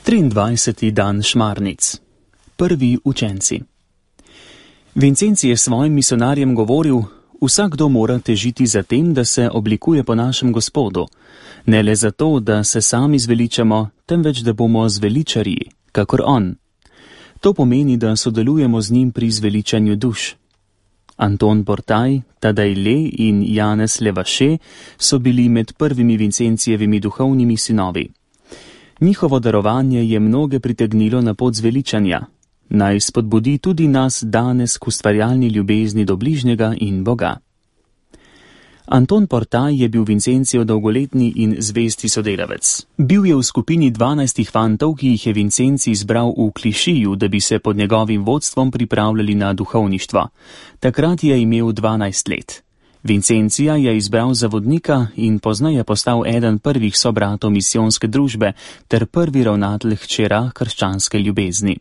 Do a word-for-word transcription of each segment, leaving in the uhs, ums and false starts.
triindvajseti dan Šmarnic. Prvi učenci. Vincenci je svojim misionarjem govoril: vsakdo mora težiti za tem, da se oblikuje po našem Gospodu, ne le zato, da se sami zveličamo, temveč da bomo zveličarji, kakor on. To pomeni, da sodelujemo z njim pri zveličanju duš. Anton Portaj, Tadej Le in Janez Levaše so bili med prvimi Vincencijevimi duhovnimi sinovi. Njihovo darovanje je mnoge pritegnilo na pot zveličanja. Naj spodbudi tudi nas danes k ustvarjalni ljubezni do bližnjega in Boga. Anton Portaj je bil Vincencijev dolgoletni in zvesti sodelavec. Bil je v skupini dvanajstih fantov, ki jih je Vincenci izbral v Klišiju, da bi se pod njegovim vodstvom pripravljali na duhovništvo. Takrat je imel dvanajst let. Vincencija je izbral za vodnika in pozneje postal eden prvih sobratov misijonske družbe ter prvi ravnatelj hčera krščanske ljubezni.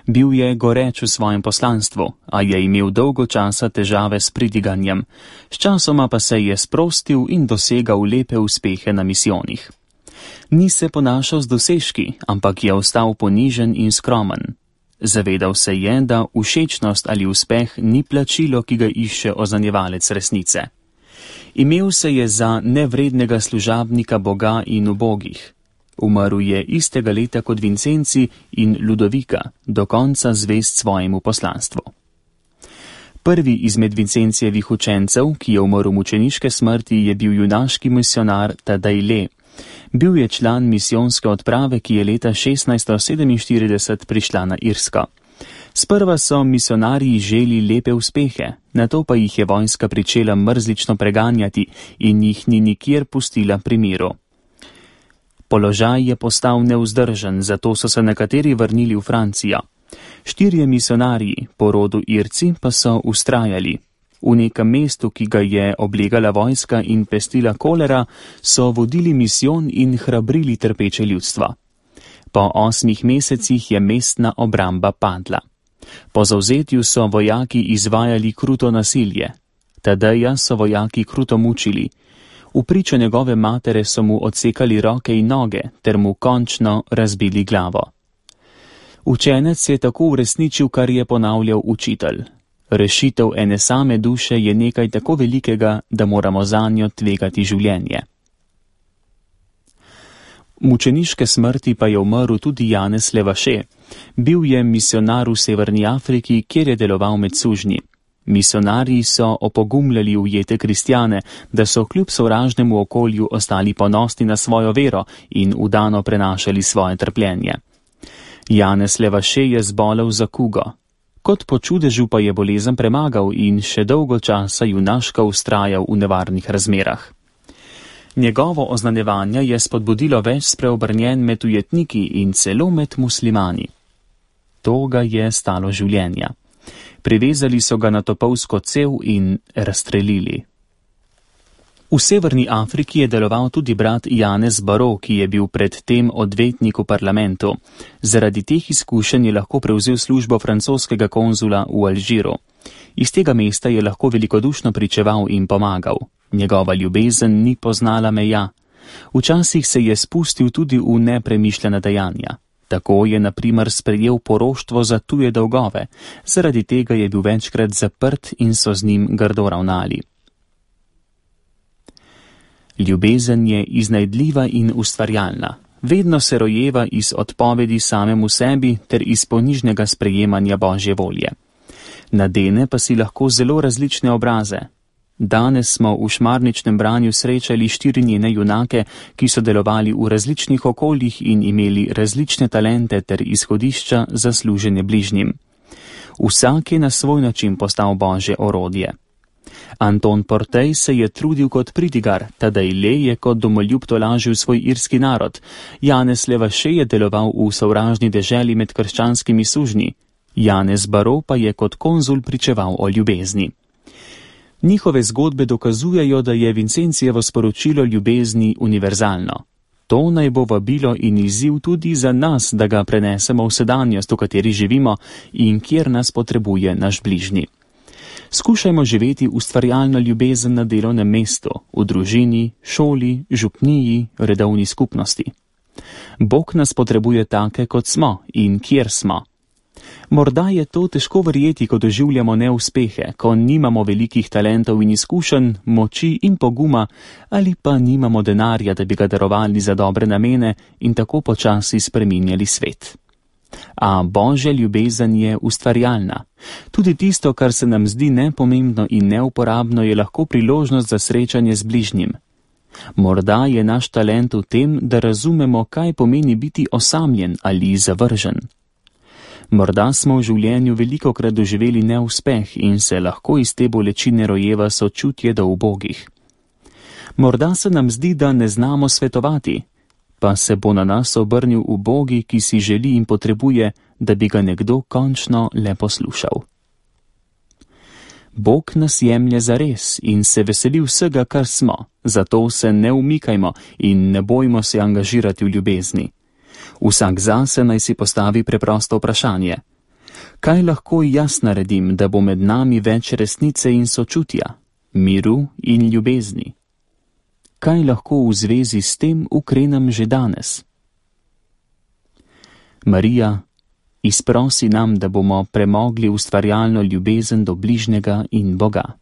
Bil je goreč v svojem poslanstvu, a je imel dolgo časa težave s pridiganjem. Sčasoma pa se je sprostil in dosegal lepe uspehe na misijonih. Ni se ponašal z dosežki, ampak je ostal ponižen in skromen. Zavedal se je, da všečnost ali uspeh ni plačilo, ki ga išče ozanjevalec resnice. Imel se je za nevrednega služabnika Boga in ubogih. Umrl je istega leta kot Vincenci in Ludovika, do konca zvest svojemu poslanstvu. Prvi izmed Vincencijevih učencev, ki je umrl mučeniške smrti, je bil junaški misionar Tadej Le. Bil je član misijonske odprave, ki je leta šestnajststo sedeminštirideset prišla na Irsko. Sprva so misionarji želi lepe uspehe, nato pa jih je vojska pričela mrzlično preganjati in jih ni nikjer pustila pri miru. Položaj je postal nevzdržen, zato so se nekateri vrnili v Francijo. Štirje misionarji, po rodu Irci, pa so ustrajali. V nekem mestu, ki ga je oblegala vojska in pestila kolera, so vodili misijon in hrabrili trpeče ljudstvo. Po osmih mesecih je mestna obramba padla. Po zavzetju so vojaki izvajali kruto nasilje. Tadeja so vojaki kruto mučili. V pričo njegove matere so mu odsekali roke in noge, ter mu končno razbili glavo. Učenec je tako uresničil, kar je ponavljal učitelj. Rešitev ene same duše je nekaj tako velikega, da moramo zanjo tvegati življenje. Mučeniške smrti pa je umrl tudi Janez Levaše. Bil je misionar v Severni Afriki, kjer je deloval med sužnji. Misionarji so opogumljali ujete kristjane, da so kljub sovražnemu okolju ostali ponosni na svojo vero in vdano prenašali svoje trpljenje. Janez Levaše je zbolel za kugo. Kot po čudežu pa je bolezen premagal in še dolgo časa junaško vztrajal v nevarnih razmerah. Njegovo oznanjevanje je spodbudilo več spreobrnjen med ujetniki in celo med muslimani. To ga je stalo življenja. Privezali so ga na topovsko cev in razstrelili. V Severni Afriki je deloval tudi brat Janez Baro, ki je bil predtem odvetnik v parlamentu. Zaradi teh izkušenj je lahko prevzel službo francoskega konzula v Alžiru. Iz tega mesta je lahko velikodušno pričeval in pomagal. Njegova ljubezen ni poznala meja. Včasih se je spustil tudi v nepremišljena dejanja. Tako je na primer sprejel poroštvo za tuje dolgove, zaradi tega je bil večkrat zaprt in so z njim grdo ravnali. Ljubezen je iznajdljiva in ustvarjalna. Vedno se rojeva iz odpovedi samemu sebi ter iz ponižnega sprejemanja Božje volje. Nadene pa si lahko zelo različne obraze. Danes smo v šmarničnem branju srečali štiri njene junake, ki so delovali v različnih okoljih in imeli različne talente ter izhodišča za služenje bližnjim. Vsak je na svoj način postal Božje orodje. Anton Portaj se je trudil kot pridigar, Tadej Le je kot domoljub tolažil svoj irski narod, Janez Levaše je deloval v sovražni deželi med krščanskimi sužnji, Janez Baro pa je kot konzul pričeval o ljubezni. Njihove zgodbe dokazujejo, da je Vincencijevo sporočilo ljubezni univerzalno. To naj bo vabilo in izziv tudi za nas, da ga prenesemo v sedanjost, v kateri živimo in kjer nas potrebuje naš bližnji. Skušajmo živeti ustvarjalno ljubezen na delovnem mestu, v družini, šoli, župniji, redovni skupnosti. Bog nas potrebuje take, kot smo in kjer smo. Morda je to težko verjeti, ko doživljamo neuspehe, ko nimamo velikih talentov in izkušenj, moči in poguma, ali pa nimamo denarja, da bi ga darovali za dobre namene in tako počasi spreminjali svet. A Božja ljubezen je ustvarjalna. Tudi tisto, kar se nam zdi nepomembno in neuporabno, je lahko priložnost za srečanje z bližnjim. Morda je naš talent v tem, da razumemo, kaj pomeni biti osamljen ali zavržen. Morda smo v življenju velikokrat doživeli neuspeh in se lahko iz te bolečine rojeva sočutje do ubogih. Morda se nam zdi, da ne znamo svetovati, pa se bo na nas obrnil ubogi, ki si želi in potrebuje, da bi ga nekdo končno le poslušal. Bog nas jemlje zares in se veseli vsega, kar smo, zato se ne umikajmo in ne bojmo se angažirati v ljubezni. Vsak zase naj si postavi preprosto vprašanje. Kaj lahko jaz naredim, da bo med nami več resnice in sočutja, miru in ljubezni? Kaj lahko v zvezi s tem ukrenem že danes? Marija, izprosi nam, da bomo premogli ustvarjalno ljubezen do bližnjega in Boga.